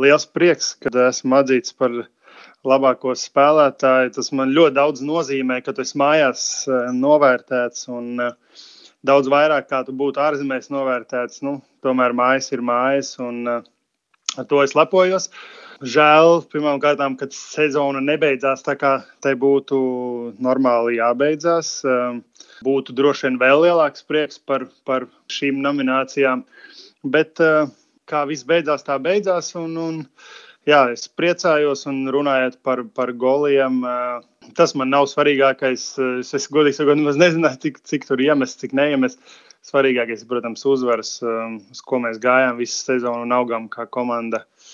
Liels prieks, kad esmu atzīts par labāko spēlētāju. Tas man ļoti daudz nozīmē, ka tu esi mājās novērtēts un daudz vairāk, kā tu būtu ārzemēs novērtēts. Tomēr mājas ir mājas un ar to es lepojos. Žēl, pirmkārt, kad sezona nebeidzās tā, kā tai būtu normāli jābeidzās. Būtu droši vien vēl lielāks prieks par šīm nominācijām. Bet kā viss beidzās, tā beidzās. Jā, es priecājos un runājot par goliem. Tas man nav svarīgākais. Es godīgi sakot, nezināju, cik tur iemest, cik neiemest. Svarīgākais, protams, uzvaras, uz ko mēs gājām visu sezonu un augām kā komanda.